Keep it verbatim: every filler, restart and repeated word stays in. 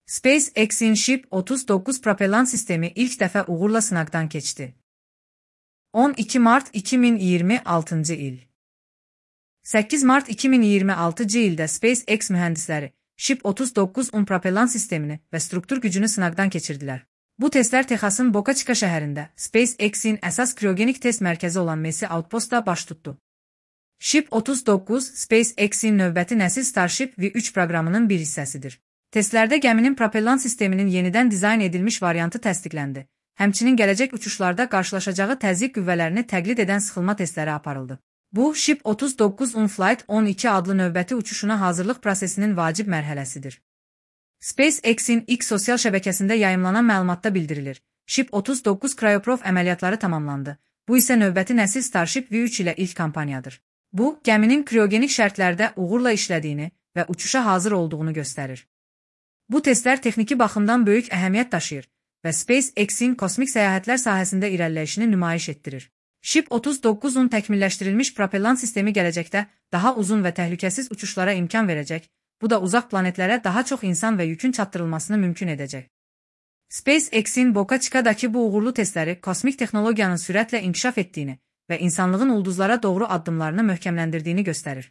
SpaceX'in Ship otuz dokuz propellan sistemi ilk dəfə uğurla sınaqdan keçdi. on iki mart iki min iyirmi altıncı il. səkkiz mart iki min iyirmi altıncı ildə SpaceX mühəndisləri Ship otuz dokuz-un propellan sistemini və struktur gücünü sınaqdan keçirdilər. Bu testlər Texasın Boca Chica şəhərində SpaceX'in əsas kriogenik test mərkəzi olan Mesi Outpostda baş tutdu. Ship otuz dokuz, SpaceX'in növbəti nəsil Starship V üç proqramının bir hissəsidir. Testlərdə gəminin propellan sisteminin yenidən dizayn edilmiş variantı təsdiqləndi. Həmçinin gələcək uçuşlarda qarşılaşacağı təzyiq qüvvələrini təqlid edən sıxılma testləri aparıldı. Bu, Ship otuz dokuz-un Flight on iki adlı növbəti uçuşuna hazırlıq prosesinin vacib mərhələsidir. SpaceX'in X sosial şəbəkəsində yayımlanan məlumatda bildirilir. Ship otuz dokuz Cryoprof əməliyyatları tamamlandı. Bu isə növbəti nəsil Starship V üç ilə ilk kampaniyadır. Bu, gəminin kriogenik şərtlərdə uğurla işlədiyini və uçuşa hazır olduğunu göstərir. Bu testlər texniki baxımdan böyük əhəmiyyət daşıyır və SpaceX'in kosmik səyahətlər sahəsində irəliləyişini nümayiş etdirir. Ship otuz dokuz-un təkmilləşdirilmiş propellan sistemi gələcəkdə daha uzun və təhlükəsiz uçuşlara imkan verəcək, bu da uzaq planetlərə daha çox insan və yükün çatdırılmasını mümkün edəcək. SpaceX'in Boca Chica'dakı bu uğurlu testləri kosmik texnologiyanın sürətlə inkişaf etdiyini və insanlığın ulduzlara doğru addımlarını möhkəmləndirdiyini göstərir.